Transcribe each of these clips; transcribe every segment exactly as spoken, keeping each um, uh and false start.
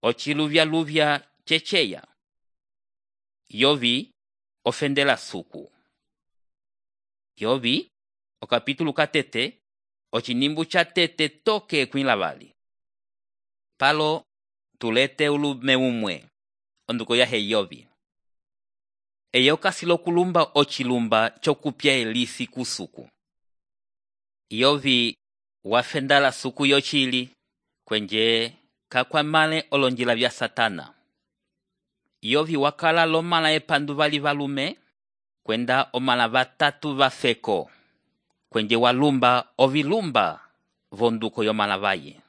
ociluvya-luvya ceceya. Yovi ofendela suku. Yovi o capítulo catete ocinimbu cha tete toke kwinlavali. Palo tulete ulume umwe onduko yahe Yovi. Eye okasilo kulumba ocilumba chokupya elisi kusuku. Yovi wafendala suku yochili kwenje kakwamale olonjila vya Satana. Yovi wakala lomala epandu vali valume kwenda omala vatatu vafeko kwenje walumba ovilumba vonduko yomala vaye.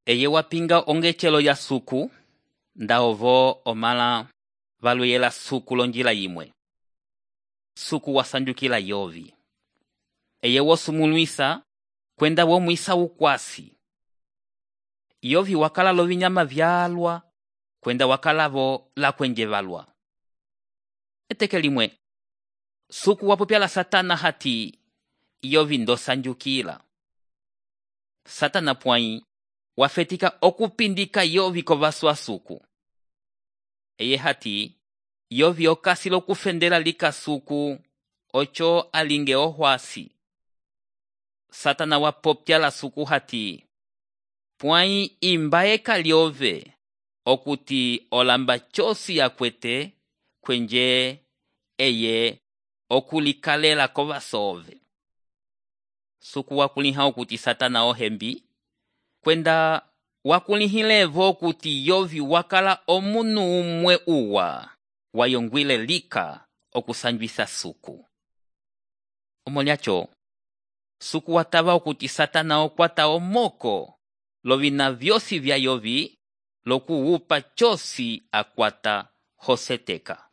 Eye wapinga ongechelo ya suku nda ovo omala valuyela suku lonjila yimwe. Suku wasanjukila Yovi. Eye wosumuluisa kwenda womwisa ukwasi. Yovi wakala lovinyama vyalwa kwenda wakala vo la kwenje valwa. Eteke limwe suku wapopyala Satana hati Yovi ndo sanjukila. Satana pwai wafetika okupindika Yovi kovaswa suku. Eye hati Yovi okasilo kufendela lika suku ocho alinge ohwasi. Satana wapopyala suku hati pwai imbaeka liove okuti olamba chosi yakwete kwenje eye okulikalela kovasove. Suku wakuliha okuti Satana ohembi kwenda wakulihilevo okuti Yovi wakala omunu umwe uwa wayongwile lika okusanjwisa suku. Omolyacho suku watava okuti Satana okwata omoko lovina vyosi vya Yovi lokuupa chosi akwata hoseteka.